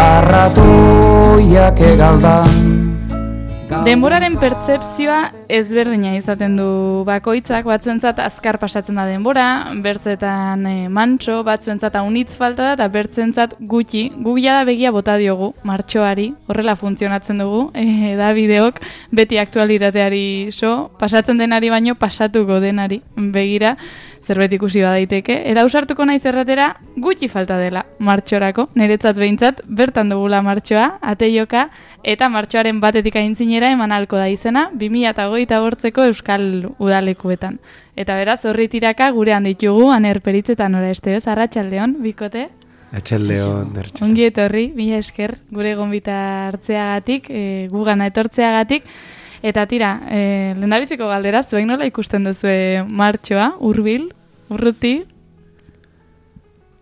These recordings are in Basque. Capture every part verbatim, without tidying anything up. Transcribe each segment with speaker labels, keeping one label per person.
Speaker 1: Arratoiak egaldan.
Speaker 2: Denboraren pertzepzioa ezberdina izaten du bakoitzak, batzuentzat azkar pasatzen da denbora, bertzetan e, mantso, batzuentzat haunitz falta da, eta bertzentzat gutxi. Gugia da begia bota diogu, martxoari, horrela funtzionatzen dugu, e, da bideok beti aktualitateari so, pasatzen denari baino pasatuko denari begira, zerbait ikusi badaiteke. Eta ausartuko naiz erratera gutxi falta dela martxorako, niretzat behintzat, bertan dugula martxoa, ateioka, eta martxoaren batetik aintzinera eman ahalko da izena bi mila hogeita bortzeko Euskal Udalekuetan. Eta beraz, horri tiraka gurean ditugu, Aner Peritz eta Nora Estebez, arratsaldeon, bikote?
Speaker 3: Atxaldeon, dertxaldeon.
Speaker 2: Ongi etorri, mila esker, gure gonbita hartzeagatik, e, gugana etortzeagatik. Eta tira, e, lehendabiziko galdera, zuek nola ikusten duzue martxoa, hurbil, urruti?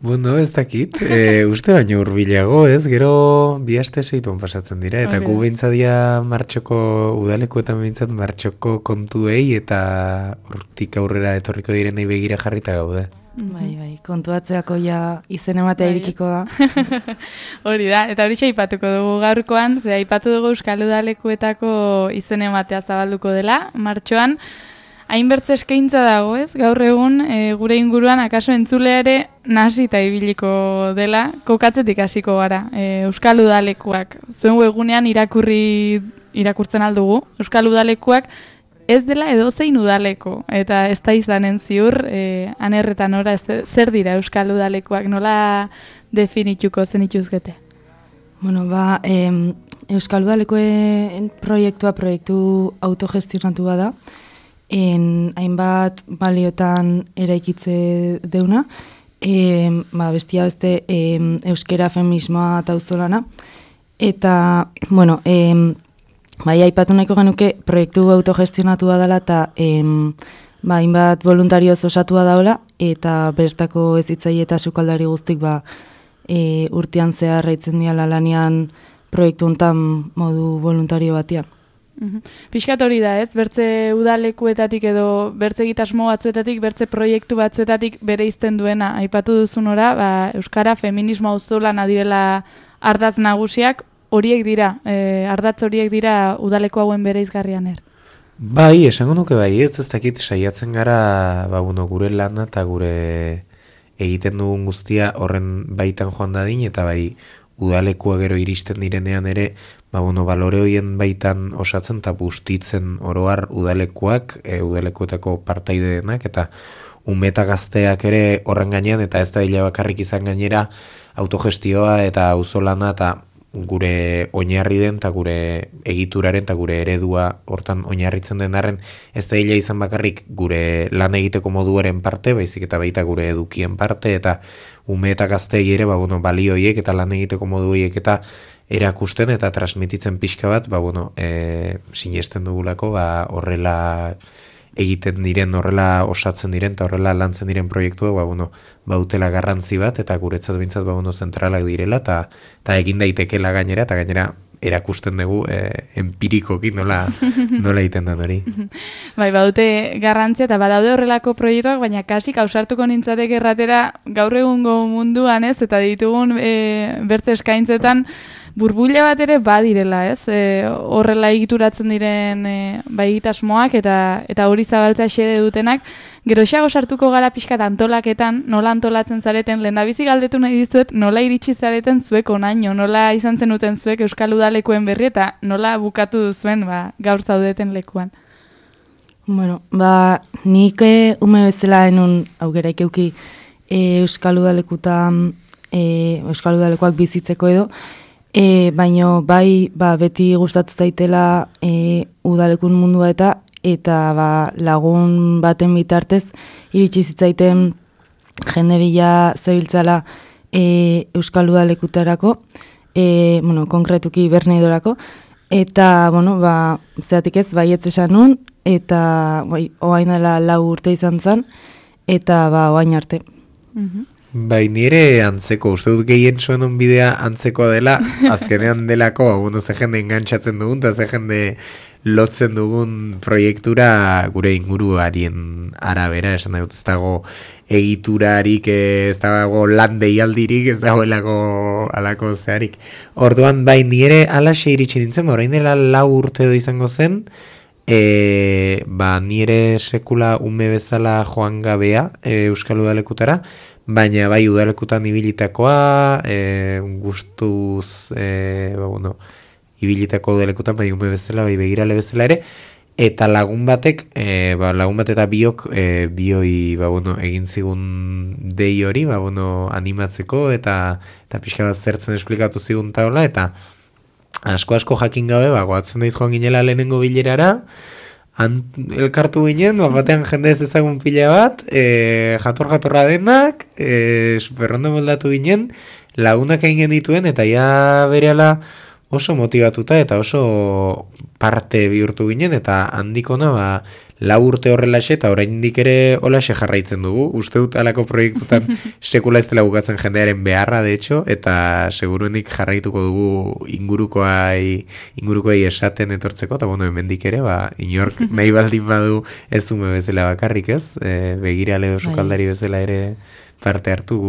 Speaker 3: Bueno, ez dakit, e, uste baino hurbilago, ez, gero bi aste seituan pasatzen dira, eta gu behintzadia martxoko udalekuetan behintzat martxoko kontuei eta hortik aurrera etorriko direnei begira jarrita gaude.
Speaker 4: Bai, bai, kontuatzeako ja izen ematea irikiko da.
Speaker 2: Hori da, eta hori aipatuko dugu gaurkoan, ze aipatu dugu Euskal Udalekuetako izen ematea zabalduko dela, martxoan. Hainbertze eskaintza dago, ez? Gaur egun e, gure inguruan akaso entzulea ere nasita ibiliko dela, kokatzetik hasiko gara. E, Euskal Udalekuak, zuen webunean irakurri irakurtzen aldugu, Euskal Udalekuak ez dela edozein udaleko, eta ez da izanen ziur, e, Aner eta Nora, ez, zer dira Euskal Udalekuak, nola definituko zenituzgete?
Speaker 4: Bueno, ba, em, Euskal Udalekuen proiektua proiektu autogestionatu bada, en hainbat baliotan eraikitze deuna, e, ba, bestia beste e, euskera, feminismoa eta auzolana, eta, bueno, e, bai, aipatu nahiko genuke proiektu autogestionatua dela eta e, ba, hainbat voluntarioz osatua daula, eta bertako ezitzaile eta sukaldari guztik ba, e, urtean zehar raitzen diala lanean proiektu hontan modu voluntario batean.
Speaker 2: Uhum. Piskat hori da, ez? Bertze udalekuetatik edo bertze egitasmo batzuetatik, bertze proiektu batzuetatik bere izten duena. Aipatu duzun ora, ba, euskara, feminismo auzolana direla ardaz nagusiak, horiek dira, e, ardatz horiek dira udaleko hauen bere izgarrian er.
Speaker 3: Bai, esango nuke bai, ez ez dakit saiatzen gara ba, bueno, gure lana eta gure egiten dugun guztia horren baitan joan dadin, eta bai udalekua gero iristen direnean ere, ba, bueno, balore horien baitan osatzen eta bustitzen oroar udalekuak, e, udalekuetako partaide denak, eta ume eta gazteak ere horren gainean, eta ez da hila bakarrik izan gainera, autogestioa eta auzolana eta gure oinarri den, eta gure egituraren, eta gure eredua hortan oinarritzen denaren, ez da hila izan bakarrik gure lan egiteko moduaren parte, baizik eta baita gure edukien parte, eta ume eta gazteei ere, ba, bueno, balioiek eta lan egiteko moduiek eta erakusten eta transmititzen pixka bat, ba, bueno, e, sinesten dugulako, ba, horrela egiten diren, horrela osatzen diren, eta horrela lantzen diren proiektuak, ba, bueno, bautela garrantzi bat, eta guretzat bintzat, ba, bueno, zentralak direla, eta, eta egin daitekela gainera, eta gainera erakusten dugu e, empirikoki nola, nola egiten den hori.
Speaker 2: Bai, badute garrantzia eta badaude horrelako proiektuak, baina kasik ausartuko nintzateke erratera gaur egungo munduan, ez, eta ditugun e, bertze eskaintzetan burbuila bat ere badirela, ez? E, horrela egituratzen diren e, bai egitasmoak eta eta hori zabaltzea xede dutenak, geroxeago sartuko gara pixkat antolaketan, nola antolatzen zareten, lehendabizi galdetu nahi dizuet, nola iritsi zareten zuek onaino, nola izan zenuten zuek Euskal Udalekuen berri eta nola bukatu duzuen ba, gaur zaudeten lekuan.
Speaker 4: Bueno, ba, nik e, ume bezala enun aukeraik euki e, Euskal Udalekutan, e, Euskal Udalekoak bizitzeko edo, E, baino bai ba, beti gustatu zaitela e, udalekun mundua eta eta ba, lagun baten bitartez iritsi zitzaiten jende bila zebiltzala e, Euskal Udalekutarako, e, bueno, konkretuki Berneidorako, eta bueno, ba, zeatik ez, baietz esan nun, eta bai, oain dela lau urte izan zen, eta ba, oain arte.
Speaker 2: Mhm.
Speaker 3: Bai, nire antzeko, uste dut gehien zuen onbidea antzekoa dela, azkenean delako, bueno, ze jende engantzatzen dugun, eta ze jende lotzen dugun proiektura gure inguruarien arabera, esan dut ez dago egiturarik, ez dago lan deialdirik, ez dagoelako alako zeharik. Orduan, bai, nire alaxe iritsi nintzen, orain dela lau urte edo izango zen, e, ba, nire sekula ume bezala joan gabea e, Euskal Udalekutara, baina bai udalekutan ibilitakoa, e, gustuz, e, ba, bueno, ibilitako udalekutan, bai ume bezala, bai begirale bezala ere, eta lagun batek, e, ba, lagun bat eta biok, e, bioi, ba, bueno, egin zigun dei hori, ba, bueno, animatzeko, eta, eta pixka bat zertzen esplikatu zigun taula, eta asko-asko jakin gabe, ba, goatzen daiz joan ginela lehenengo bilerara, han elkartu ginen, ba, batean jende ez ezagun pila bat, e, jator-jatorra denak, e, superrondo moldatu ginen, lagunak egin genituen, eta ja berehala oso motivatuta eta oso parte bihurtu ginen, eta handikona ba, lau urte horrelaxe eta oraindik ere holaxe jarraitzen dugu. Uste dut alako proiektutan sekula ez dela bukatzen jendearen beharra, de hecho, eta seguruenik jarraituko dugu ingurukoai, ingurukoai esaten etortzeko, eta bueno, hemendik ere, ba, inork nahi baldin badu ez ume bezala bakarrik, ez? E, begirale oso kaldari bezala ere parte hartu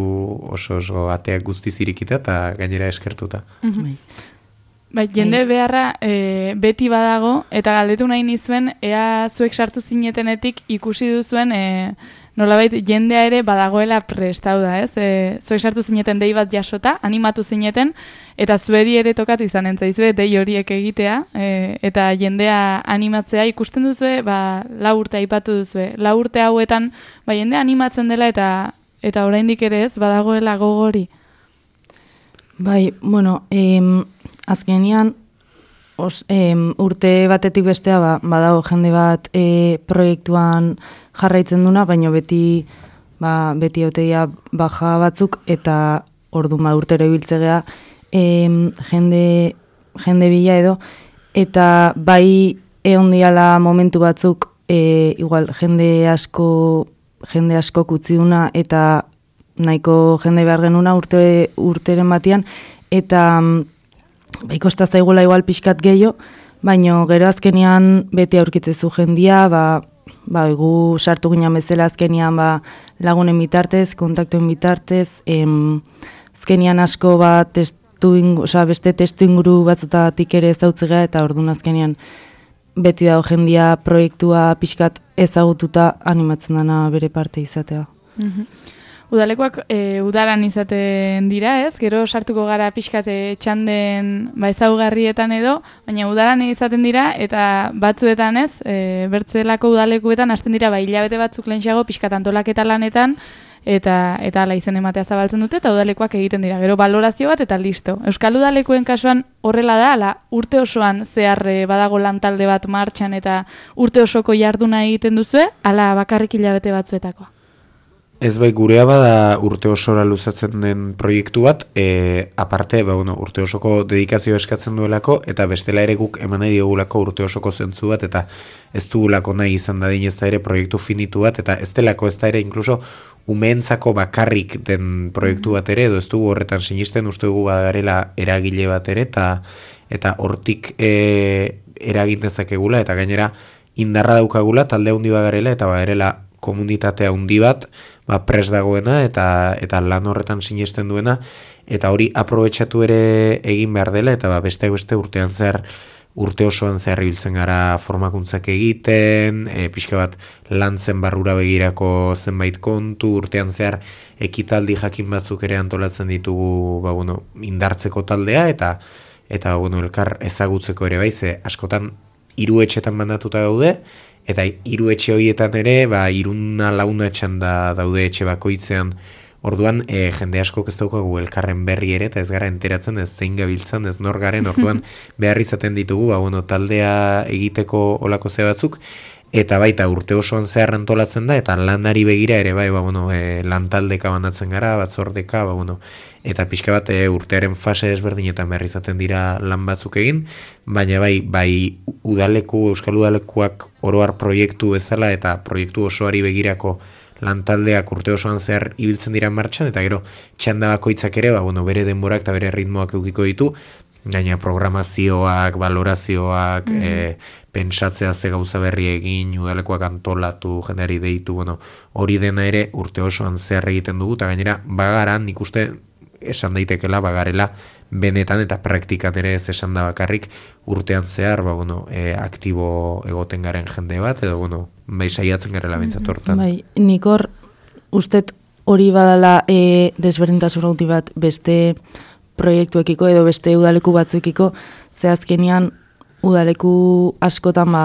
Speaker 3: oso oso ateak guztiz irikita eta gainera eskertuta.
Speaker 2: Bai, jende beharra e, beti badago, eta galdetu nahi nizuen, ea zuek sartu zinetenetik ikusi duzuen, e, nolabait jendea ere badagoela prestau da, ez? E, zuek sartu zineten dei bat jasota, animatu zineten, eta zueri ere tokatu izan entzaizue, dei horiek egitea, e, eta jendea animatzea ikusten duzue, ba, lau urte aipatu duzue. Lau urte hauetan, ba, jendea animatzen dela, eta eta oraindik ere ez, badagoela gogori.
Speaker 4: Bai, bueno, em, azkenian os, em, urte batetik bestea ba, badago jende bat e, proiektuan jarraitzen duna, baina beti ba, beti oteia baja batzuk eta orduan ba, urtero ibiltzegea em, jende, jende bila edo, eta bai egon diala momentu batzuk e, igual jende asko jende asko utzi duna eta nahiko jende behar genuna urte, urteren batian, eta ba, ikosta zaigula igual pixkat gehiago, baino gero azkenian beti aurkitzezu jendia, ba, ba, egu sartu ginen bezala azkenian ba, lagunen bitartez, kontaktuen bitartez, em, azkenian asko ba, testu ingu, oza, beste testu inguru batzutatik ere ezautzea, eta orduan azkenian beti dago jendia proiektua pixkat ezagututa animatzen dana bere parte izatea.
Speaker 2: Mhm. Udalekoak e, udaran izaten dira, ez? Gero sartuko gara pixkate txanden ba, ezaugarrietan edo, baina udaran izaten dira, eta batzuetan ez, e, bertzelako udalekuetan hasten dira, ba, hilabete batzuk lehenxago pixkat antolaketa lanetan, eta eta ala izen ematea zabaltzen dute, eta udalekoak egiten dira. Gero balorazio bat eta listo. Euskal Udalekuen kasuan horrela da, ala, urte osoan zehar e, badago lantalde bat martxan, eta urte osoko jarduna egiten duzue, ala bakarrik hilabete batzuetakoa.
Speaker 3: Ez bai, gurea bada urte osora luzatzen den proiektu bat, e, aparte, ba, bueno, urte osoko dedikazio eskatzen duelako, eta bestela ere guk eman nahi diogulako urte osoko zentzu bat, eta ez dugulako nahi izan dadin ez da ere proiektu finitu bat, eta ez delako ez da ere inkluso umeentzako bakarrik den proiektu bat ere, edo ez dugu horretan sinisten, uste dugu badarela eragile bat ere, eta eta hortik e, eragin dezakegula, eta gainera indarra daukagula, talde handi bagarela, eta badarela komunitatea handi bat, ba, pres dagoena eta eta lan horretan sinesten duena, eta hori aprobetxatu ere egin behar dela, eta ba, besteak beste urtean zehar, urte osoan zehar ibiltzen gara formakuntzak egiten, e, pixka bat lantzen barrura begirako zenbait kontu, urtean zehar ekitaldi jakin batzuk ere antolatzen ditugu ba, bueno, indartzeko taldea, eta eta bueno, elkar ezagutzeko ere baize, askotan hiru etxetan mandatuta daude, eta hiru etxe horietan ere, ba, iruna launa etxan da daude etxe bakoitzean. Orduan, e, jende askok ez daukagu elkarren berri ere, eta ez gara enteratzen ez zein gabiltzan, ez nor garen, orduan behar izaten ditugu, ba, bueno, taldea egiteko olako ze batzuk, eta baita urte osoan zehar antolatzen da, eta lanari begira ere, bai, ba, bueno, e, lantaldeka banatzen gara, batzordeka, ba, bueno, eta pixka bat e, urtearen fase desberdinetan behar izaten dira lan batzuk egin, baina bai, bai udaleku, Euskal Udalekuak oroar proiektu bezala, eta proiektu osoari begirako lantaldeak urte osoan zehar ibiltzen dira martxan, eta gero txanda bakoitzak ere, ba, bueno, bere denborak eta bere ritmoak eukiko ditu, gaina programazioak, valorazioak,
Speaker 2: Mhm.
Speaker 3: e, pentsatzea ze gauza berri egin, udalekoak antolatu, jendeari deitu, bueno, hori dena ere urte osoan zehar egiten dugu, eta gainera bagara, nik uste esan daitekela, bagarela benetan eta praktikan ere ez esan da bakarrik urtean zehar, ba, bueno, e, aktibo egoten garen jende bat, edo, bueno, bai saiatzen garela bintzat hortan.
Speaker 4: Bai, nik hor, ustet hori badala e, desberdintasun hauti bat beste proiektuekiko edo beste udaleku batzuekiko, ze azkenean udaleku askotan ba,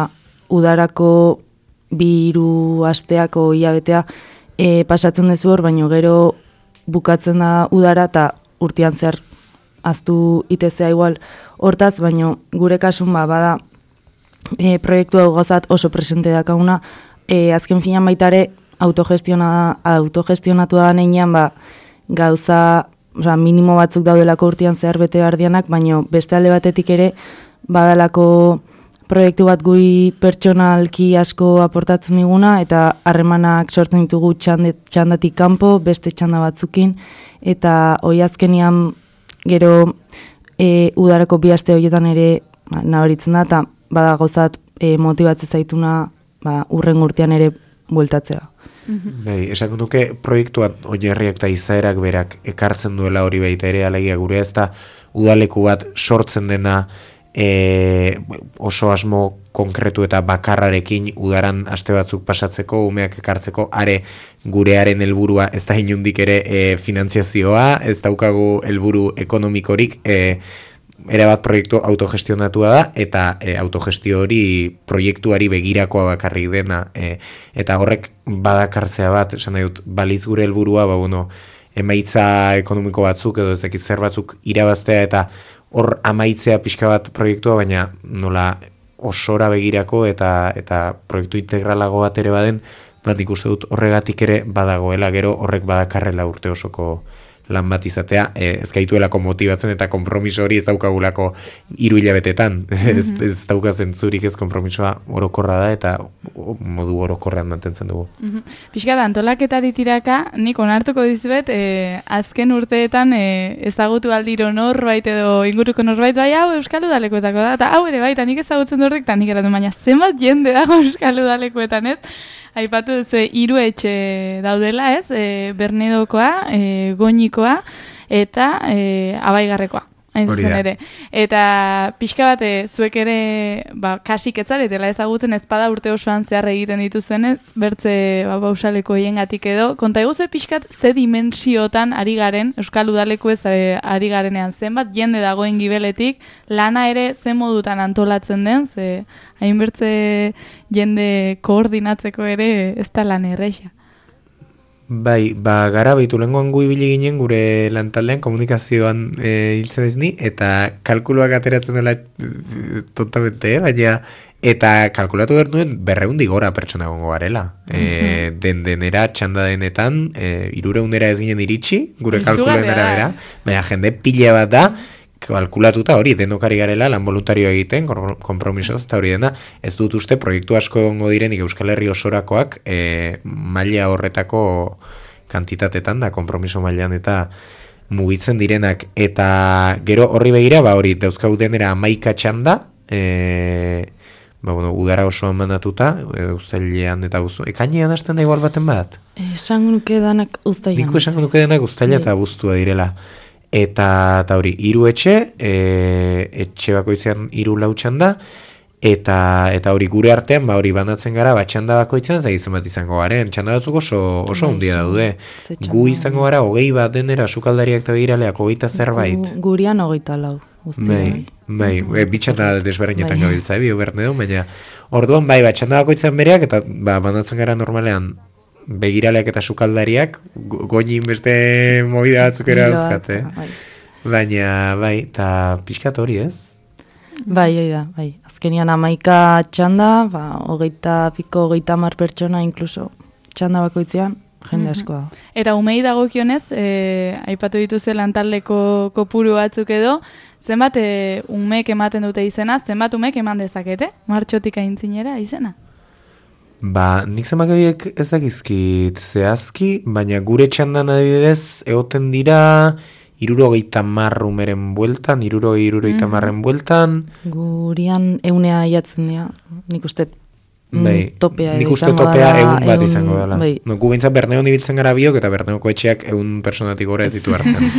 Speaker 4: udarako bi hiru asteako hilabetea e, pasatzen dezu hor, baino gero bukatzen da udara eta urtean zehar aztu itezea igual hortaz, baino gure kasun ba, bada e, proiektu hau gozat oso presente dakauna, e, azken finan baitare autogestiona, autogestionatu da neinean ba, gauza oza, minimo batzuk daudelako urtean zehar bete bardianak, baino beste alde batetik ere badalako proiektu bat gui pertsonalki asko aportatzen diguna, eta harremanak sortzen ditugu txandet, txandatik kanpo, beste txanda batzukin, eta hoi azkenian gero e, udarako bi aste horietan ere ba, nabaritzen da, eta bada gozat e, motibatzen zaituna ba, urren urtean ere bueltatzea.
Speaker 3: Bai, esan duke proiektuan oinarriak eta izaerak berak ekartzen duela hori baita ere, alegia gure ez da udaleku bat sortzen dena E, oso asmo konkretu eta bakarrarekin udaran aste batzuk pasatzeko, umeak ekartzeko, are gurearen helburua ez da inundik ere e, finantziazioa, ez daukagu helburu ekonomikorik, e, erabat proiektu autogestionatua da, eta e, autogestio hori proiektuari begirakoa bakarrik dena, e, eta horrek badakartzea bat, esan nahi dut, baliz gure helburua, ba, bueno, emaitza ekonomiko batzuk edo ezekit zer batzuk irabaztea eta hor amaitzea pixka bat proiektua, baina nola osora begirako eta eta proiektu integralago bat ere baden, bat ikuste dut horregatik ere badagoela, gero horrek badakarrela urte osoko lan bat izatea, e, ez gaituelako motibatzen eta konpromiso hori ez daukagulako hiru hilabetetan, mm-hmm. ez, ez daukazen zurik ez konpromisoa orokorra da eta modu orokorrean mantentzen dugu.
Speaker 2: Mm-hmm. Pixka da, antolaketari tiraka, nik onartuko dizuet, e, azken urteetan e, ezagutu aldiro norbait edo inguruko norbait, bai hau Euskal Udalekoetako da, eta hau ere baita nik ezagutzen dut, eta nik eratu, baina zenbat jende dago Euskal Udalekoetan ez? Aipatu duzu, hiru etxe daudela, ez? E, Bernedokoa, e, Goñikoa eta e, Abaigarrekoa. Hain zuzen ere. Eta pixka bat, e, zuek ere ba, kasik etzaretela ezagutzen ezpada urte osoan zehar egiten dituzenez, bertze ba, bausaleko hiengatik edo. Konta eguzue pixkat ze dimensiotan ari garen, Euskal Udaleko ez e, ari garenean zenbat, jende dagoen gibeletik, lana ere ze modutan antolatzen den, ze hainbertze jende koordinatzeko ere ez da lan erreixa.
Speaker 3: Bai, ba, gara behitu lenguan gu ibili ginen gure lantaldean komunikazioan e, hiltzen ez ni, eta kalkuluak ateratzen dela e, tontamente, eh? Baina, eta kalkulatu behar nuen berreundi gora pertsona gongo garela. E, den denera, txanda denetan, e, irureundera ez ginen iritsi, gure kalkuluen arabera, baina jende pila bat da, kalkulatuta hori, denokari garela, lan voluntario egiten, konpromisoz, eta hori dena, ez dut uste proiektu asko egongo direnik Euskal Herri osorakoak e, maila horretako kantitatetan da, konpromiso mailan eta mugitzen direnak, eta gero horri begira, ba hori, dauzkagu denera amaika txanda, e, ba, bueno, udara osoan mandatuta, e, uztailean eta buztu, ekainean hasten da igual baten bat?
Speaker 4: Esango nuke danak uztailean.
Speaker 3: Niko esango nuke danak uztaila eta buztua direla. Eta, eta hori, hiru etxe, e, etxe bakoitzean hiru lau txanda, eta, eta hori gure artean, ba hori banatzen gara, ba txanda bakoitzean zagizan bat izango garen, txanda batzuk oso, oso handia daude. Gu izango gara, hogei bat denera, sukaldariak eta begiraleak, hogeita zerbait.
Speaker 4: Gu, gurian hogeita lau.
Speaker 3: Bai, bai, e, bitxanda desberdinetan bai. Gabiltza, bi Bernedo, baina orduan bai, ba txanda bakoitzean bereak, eta ba, banatzen gara normalean, begiraleak eta sukaldariak goñin beste movida batzuk ere dauzkate. Bai. Baina, bai, eta pixkat hori ez?
Speaker 4: Bai, hori da, bai. Azkenian amaika txanda, ba, hogeita piko, hogeita mar pertsona, inkluso txanda bakoitzean, jende asko da.
Speaker 2: Eta umei dagokionez, e, aipatu dituzu lantaldeko kopuru batzuk edo, zenbat e, umeek ematen dute izena, zenbat umeek eman dezakete? Martxotik aintzinera izena?
Speaker 3: Ba, nik zenbakabiek ezakizkit zehazki, baina gure txandan adibidez egoten dira irurogeita hamar umeren bueltan, irurogei, irurogeita hamarren bueltan.
Speaker 4: Gurian eunea jatzen dira, nik uste
Speaker 3: Bai,
Speaker 4: topea
Speaker 3: nik uste
Speaker 4: izango
Speaker 3: topea
Speaker 4: dela,
Speaker 3: egun bat
Speaker 4: ehun-
Speaker 3: izango dela.
Speaker 4: bai.
Speaker 3: No, gu bintzat Berneon ibiltzen gara biok, eta Berneoko etxeak egun personatik gora ez ditu hartzen.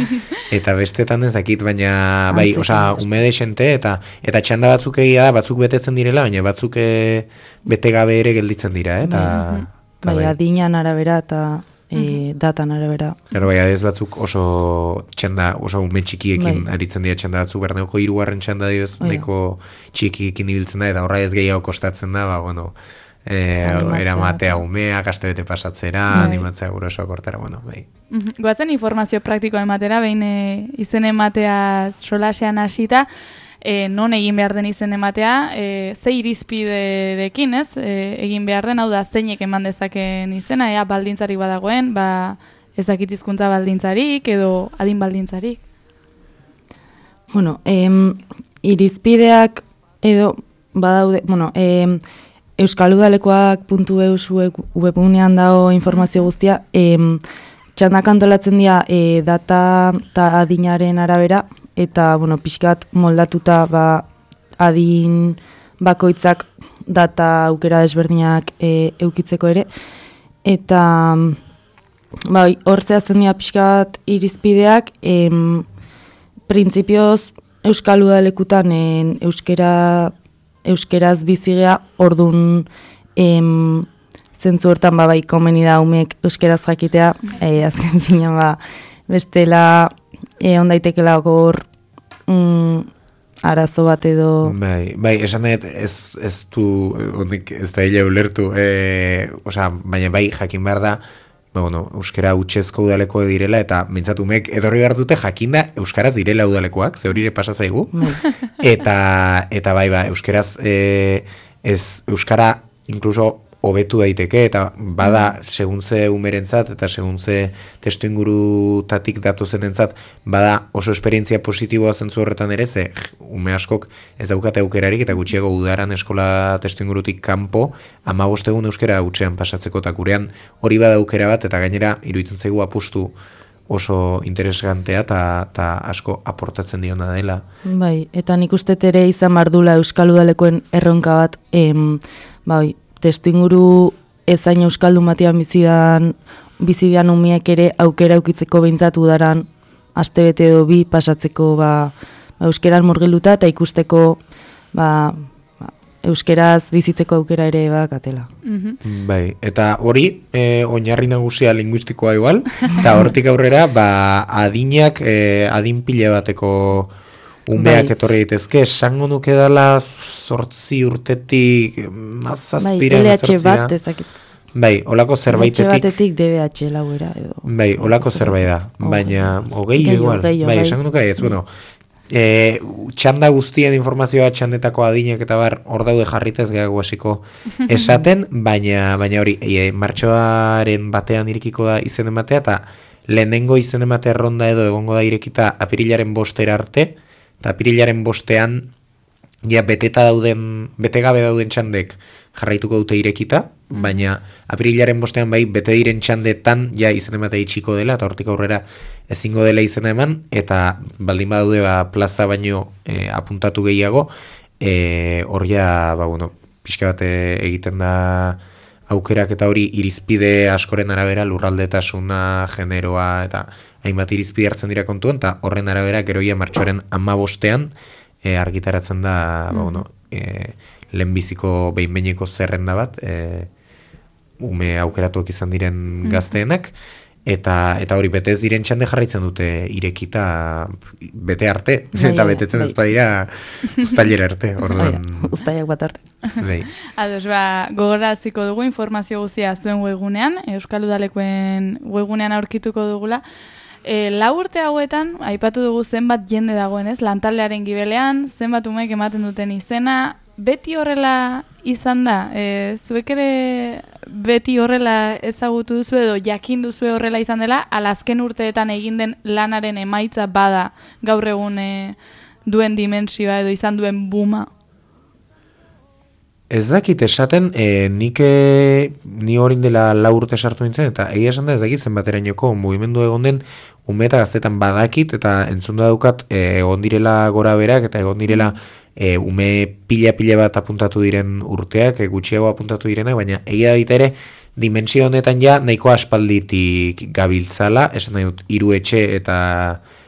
Speaker 3: Eta bestetan ez dakit, baina bai,
Speaker 4: Antzekoa
Speaker 3: osea,
Speaker 4: beste.
Speaker 3: ume desente, eta eta txanda batzuk egia da, batzuk betetzen direla, baina batzuk eh, bete gabe ere gelditzen dira, eh? eta, eta
Speaker 4: Bai, adinan arabera eta e, datan arabera.
Speaker 3: Claro, bai, adez batzuk oso txanda, oso ume txikiekin
Speaker 4: Bai.
Speaker 3: aritzen dira txanda batzuk, Berneoko hirugarren txanda dioz,
Speaker 4: Oia.
Speaker 3: nahiko txikiekin ibiltzen da, eta horra ez gehiago kostatzen da, ba, bueno, eh,
Speaker 4: Animatzea,
Speaker 3: eramatea
Speaker 4: eta-
Speaker 3: umeak, astebete pasatzera,
Speaker 4: Bai.
Speaker 3: animatzea gurasoak hortara, bueno, bai.
Speaker 2: Mhm. Goazen informazio praktikoa ematera, behin e, izen ematea solasean hasita, e, non egin behar den izen ematea, e, ze irizpiderekin, ez? E, egin behar den, hau da, zeinek eman dezaken izena, ea baldintzarik badagoen, ba, ez dakit hizkuntza baldintzarik, edo adin baldintzarik.
Speaker 4: Bueno, em, irizpideak edo badaude, bueno, em, euskaludalekoak puntu eus web- webgunean dago informazio guztia, em, txandak antolatzen dira e, data eta adinaren arabera, eta, bueno, pixkat moldatuta ba, adin bakoitzak data aukera desberdinak e, eukitzeko ere, eta bai, hor zehazten dira pixkat irizpideak, em, printzipioz euskal udalekutan en, euskera, euskeraz bizigea, ordun em, zentzu hortan ba, bai, komeni da umek euskeraz jakitea, e, azken fina ba, bestela e, ondaitekela gor mm, arazo bat edo...
Speaker 3: Bai, bai, esan dut ez, ez du, ondik ez da hile ulertu, e, osea, baina bai jakin behar da, ba, bueno, euskera utxezko udaleko direla, eta mintzat umek edorri behar dute jakinda euskaraz direla udalekoak, ze hori ere pasa zaigu, eta, eta bai, ba, euskeraz e, ez, euskara inkluso hobetu daiteke, eta bada segun ze umerentzat eta segun ze testu ingurutatik datozenentzat bada oso esperientzia positiboa zentzu horretan ere, ze ume askok ez daukate aukerarik eta gutxiago udaran eskola testu ingurutik kanpo hamabost egun euskera hutsean pasatzeko, eta gurean hori bada aukera bat, eta gainera iruditzen zaigu apustu oso interesgantea eta asko aportatzen diona dela.
Speaker 4: Bai, eta nik uste ere izan bardula euskal udalekoen erronka bat, em, bai, testu inguru ezain euskaldun batean bizidan, bizidan umiek ere aukera eukitzeko behintzat udaran astebete edo bi pasatzeko ba, ba, euskeran murgiluta eta ikusteko ba, ba, euskeraz bizitzeko aukera ere badakatela.
Speaker 3: Bai, eta hori e, oinarri nagusia linguistikoa igual, eta hortik aurrera ba, adinak, e, adin pila bateko umeak
Speaker 4: Bai.
Speaker 3: etorri daitezke, esango nuke dela zortzi urtetik
Speaker 4: Bai,
Speaker 3: mazazpira
Speaker 4: L H bat ezakit.
Speaker 3: Bai, olako
Speaker 4: L H
Speaker 3: zerbaitetik.
Speaker 4: batetik D B H lauera edo.
Speaker 3: Bai, olako zerbait da, baina hogei
Speaker 4: Gehiago,
Speaker 3: igual,
Speaker 4: gehiago,
Speaker 3: bai,
Speaker 4: bai.
Speaker 3: esango nuke ez, bueno, e, txanda guztien informazioa txandetako adinak eta bar hor daude jarritez gehiago hasiko esaten, baina baina hori, e, martxoaren batean irekiko da izen ematea, eta lehenengo izen ematea ronda edo egongo da irekita apirilaren bostera arte, eta apirilaren bostean ja beteta dauden, bete gabe dauden txandek jarraituko dute irekita, baina apirilaren bostean bai bete diren txandetan ja izen ematea itxiko dela, eta hortik aurrera ezingo dela izena eman, eta baldin badaude ba, plaza baino e, apuntatu gehiago, e, hor ja, ba, bueno, pixka bat egiten da aukerak eta hori irizpide askoren arabera lurraldetasuna, generoa eta hainbat irizpide hartzen dira kontuan, eta horren arabera geroia martxoaren hamabostean e, argitaratzen da, ba, bueno, e, lehenbiziko behin-behineko zerrenda bat, e, ume aukeratuak izan diren gazteenak, eta eta hori bete ez diren txande jarraitzen dute irekita bete arte,
Speaker 4: Bai,
Speaker 3: eta
Speaker 4: bai,
Speaker 3: betetzen
Speaker 4: bai.
Speaker 3: ez badira uztailera arte, orduan.
Speaker 4: Uztaiak bat arte.
Speaker 3: Bai.
Speaker 2: Ados, ba, gogoraziko dugu informazio guztia zuen webgunean, Euskal Udalekoen webgunean aurkituko dugula. E, lau urte hauetan, aipatu dugu zenbat jende dagoen, ez? Lantaldearen gibelean, zenbat umeek ematen duten izena, beti horrela izan da? E, zuek ere beti horrela ezagutu duzu edo jakin duzu horrela izan dela, alazken urteetan egin den lanaren emaitza bada gaur egun e, duen dimentsioa edo izan duen buma?
Speaker 3: Ez dakit esaten, e, nik e, ni horin dela lau urte sartu nintzen, eta egia esan da ez dakit zenbaterainoko mugimendu egon den ume eta gaztetan badakit, eta entzun daukat e, egon direla gora berak, eta egon direla e, ume pila-pila bat apuntatu diren urteak, e, gutxiago apuntatu direnak, baina egia baita ere, dimensio honetan ja nahiko aspalditik gabiltzala, esan nahi dut, hiru etxe eta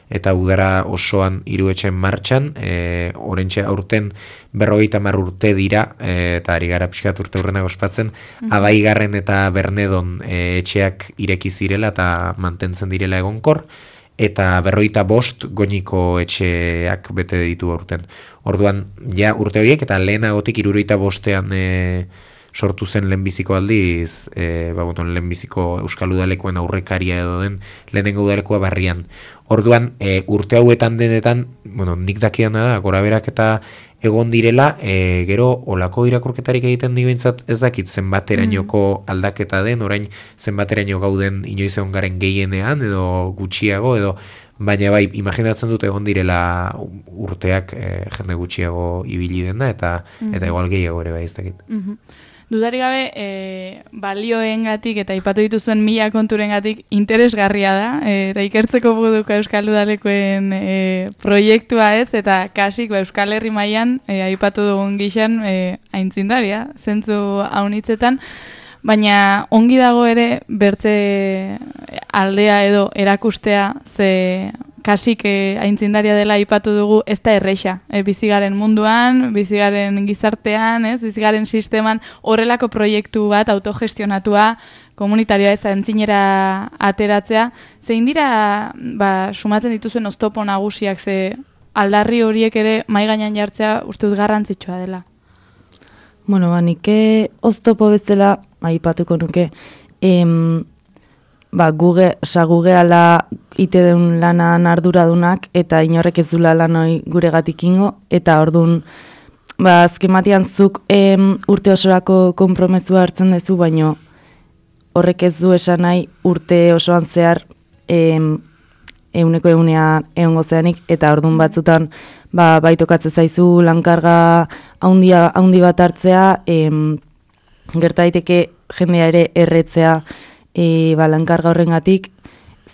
Speaker 3: eta udara osoan hiru etxen martxan, e, orentxe aurten berrogeita hamar urte dira, e, eta ari gara pixkat urte urrenak ospatzen, mm-hmm. Abaigarren eta Bernedon e, etxeak ireki zirela eta mantentzen direla egonkor, eta berrogeita bost goñiko etxeak bete ditu aurten. Orduan, ja urte horiek eta lehenagotik hirurogeita bostean e, sortu zen lehenbiziko aldiz, e, ba, bueno, lehenbiziko Euskal Udalekoen aurrekaria edo den lehenengo udalekoa barrian. Orduan, e, urte hauetan denetan, bueno, nik dakiana da, gora berak eta egon direla, e, gero olako irakurketarik egiten diguintzat ez dakit zenbaterainoko mm. aldaketa den, orain zenbateraino gauden inoiz egon garen gehienean edo gutxiago, edo baina bai, imaginatzen dut egon direla urteak e, jende gutxiago ibili dena, eta, mm-hmm. eta igual gehiago ere bai ez dakit.
Speaker 2: Mm-hmm. Dudarik gabe, e, balioengatik eta aipatu dituzuen mila konturengatik interesgarria da, e, eta ikertzeko buduko Euskal Udalekoen e, proiektua ez, eta kasik ba, Euskal Herri mailan e, aipatu dugun gixan e, aintzindaria, zentzu haunitzetan, baina ongi dago ere bertze aldea edo erakustea, ze kasik e, aintzindaria dela aipatu dugu, ez da erreixa. E, bizigaren munduan, bizigaren gizartean, ez, bizigaren sisteman horrelako proiektu bat autogestionatua, komunitarioa ez aintzinera ateratzea. Zein dira, ba, sumatzen dituzuen oztopo nagusiak, ze aldarri horiek ere mai gainean jartzea uste dut garrantzitsua dela.
Speaker 4: Bueno, ba, nike oztopo bezala aipatuko nuke, em, ba, guge, sa gugeala ite deun lanan arduradunak, eta inorrek ez dula lanoi guregatik ingo, eta orduan, ba, azken batean zuk em, urte osorako konpromezua hartzen duzu, baino horrek ez du esan nahi urte osoan zehar em, euneko eunean egongo zeanik, eta orduan batzutan ba, baitokatze zaizu lankarga haundia, haundi bat hartzea, em, gerta daiteke jendea ere erretzea e, ba, lankarga horrengatik,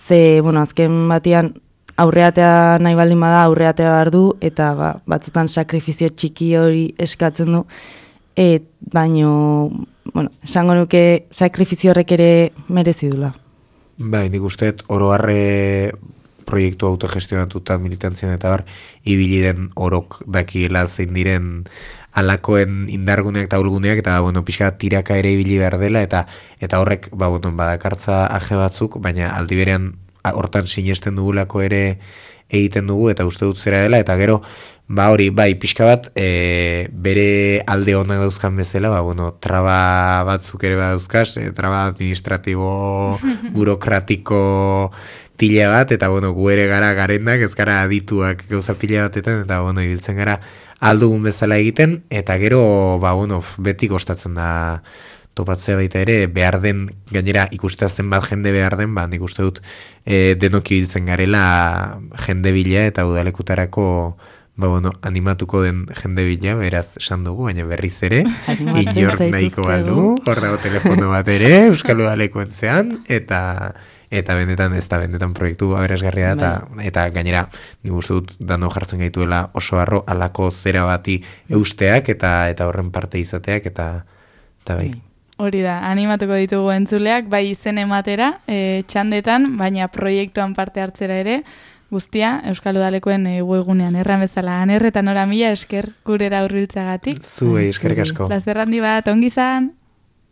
Speaker 4: ze, bueno, azken batean aurreatea nahi baldin bada aurreatea behar du, eta ba, batzutan sakrifizio txiki hori eskatzen du, et, baino, bueno, esango nuke sakrifizio horrek ere merezi dula.
Speaker 3: Bai, nik usteet oro harre proiektu autogestionatuta militantzian eta bar, ibili den orok dakiela zein diren alakoen indarguneak eta ulguneak, eta bueno, pixka tiraka ere ibili behar dela, eta eta horrek ba, bueno, badakartza aje batzuk, baina aldi berean hortan sinesten dugulako ere egiten dugu, eta uste dut zera dela, eta gero, ba hori, bai, pixka bat, e, bere alde honak dauzkan bezala, ba, bueno, traba batzuk ere badauzkaz, e, traba administratibo, burokratiko pila bat, eta bueno, gu ere gara garendak, ez gara adituak gauza pila batetan, eta bueno, ibiltzen gara aldugun bezala egiten, eta gero, ba, bueno, beti kostatzen da topatzea baita ere, behar den, gainera ikustea zenbat jende behar den, ba, nik uste dut e, denoki biltzen garela jende bila, eta udalekutarako, ba, bueno, animatuko den jende bila, beraz esan dugu, baina berriz ere, inork nahiko baldu, hor dago telefono bat ere, Euskal Udalekoen zean, eta eta benetan, ez da benetan proiektu aberasgarria da, eta, eta gainera, nik uste dut, dano jartzen gaituela oso harro, alako zera bati eusteak, eta eta horren parte izateak, eta, eta bai.
Speaker 2: Hori da, animatuko ditugu entzuleak, bai izen ematera, e, txandetan, baina proiektuan parte hartzera ere, guztia, Euskal Udalekoen e, webgunean erran bezala. Aner eta Nora, mila esker gurera hurbiltzagatik.
Speaker 3: Zuei, eskerrik asko.
Speaker 2: Plazer handi bat, ongi izan!